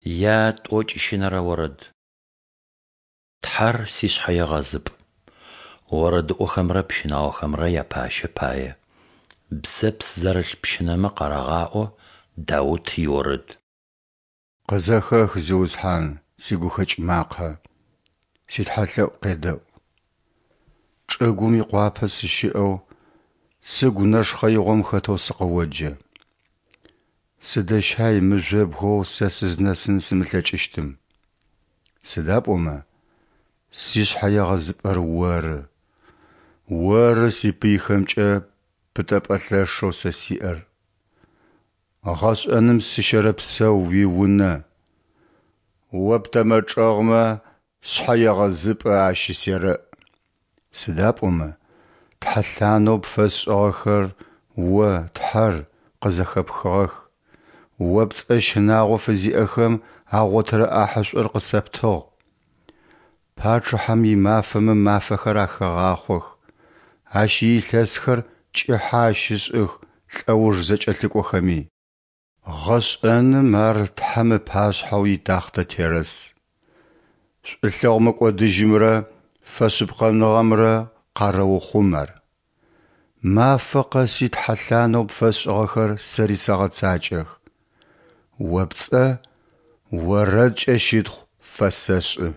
Я Тӏокӏищынэрэ орэд. Тхьэр сишъхьэегъэзыпӏ. Орэдыӏохэмрэ пщынаохэмрэ япащэ пае. Бзэпс зэрылъ пщынэмэ къарагъаӏо. Даут иорэд. Къызэхэх, Зиусхьан, сигухэкӏ макъэ, ситхьэлъэӏу къедэӏу. Чӏыгум икъуапэ сыщыӏэу, сыгу нэшхъэигъом хэтэу сыкъыоджэ. Сыдэщай мыжъобгэу сэ сызнэсын сымылъэкӏыщтым. Сыда пӏомэ сишъхьэегъэзыпӏэр Оры, Оры сипыйхэмкӏэ пытэпӏэ лъэшэу сэ сиӏэр. Гъэшӏэным сыщэрэпсэу Уиунэ, О птэмэ чӏэгъмэ шъхьэегъэзыпӏэ ащысерэӏ. Сыда пӏомэ тхьэлъанэу пфэсшӏыгъэхэр О, Тхьэр, къызэхэпхыгъэх, О пцӏэ щынагъо фызиӏэхэм агъотырэ ӏахьышӏур къысэптыгъ. Пачъыхьэм имафэмэ мафэхэр ахегъахъох, ащ иилъэсхэр кӏыхьэ ащышӏых лӏэуж зэкӏэлъыкӏохэми. Гъэшӏэным ар Тхьэм ыпашъхьэу итахътэ терэс. Шӏулъэгъу мыкӏодыжьымрэ фэшъыпкъэныгъэмрэ къарэухъум ар. Мафэ къэси тхьэлъанэу пфэсшӏыгъэхэр сэри сэгъэцакӏэх, О пцӏэ орэдкӏэ щытхъу фэсэшӏы.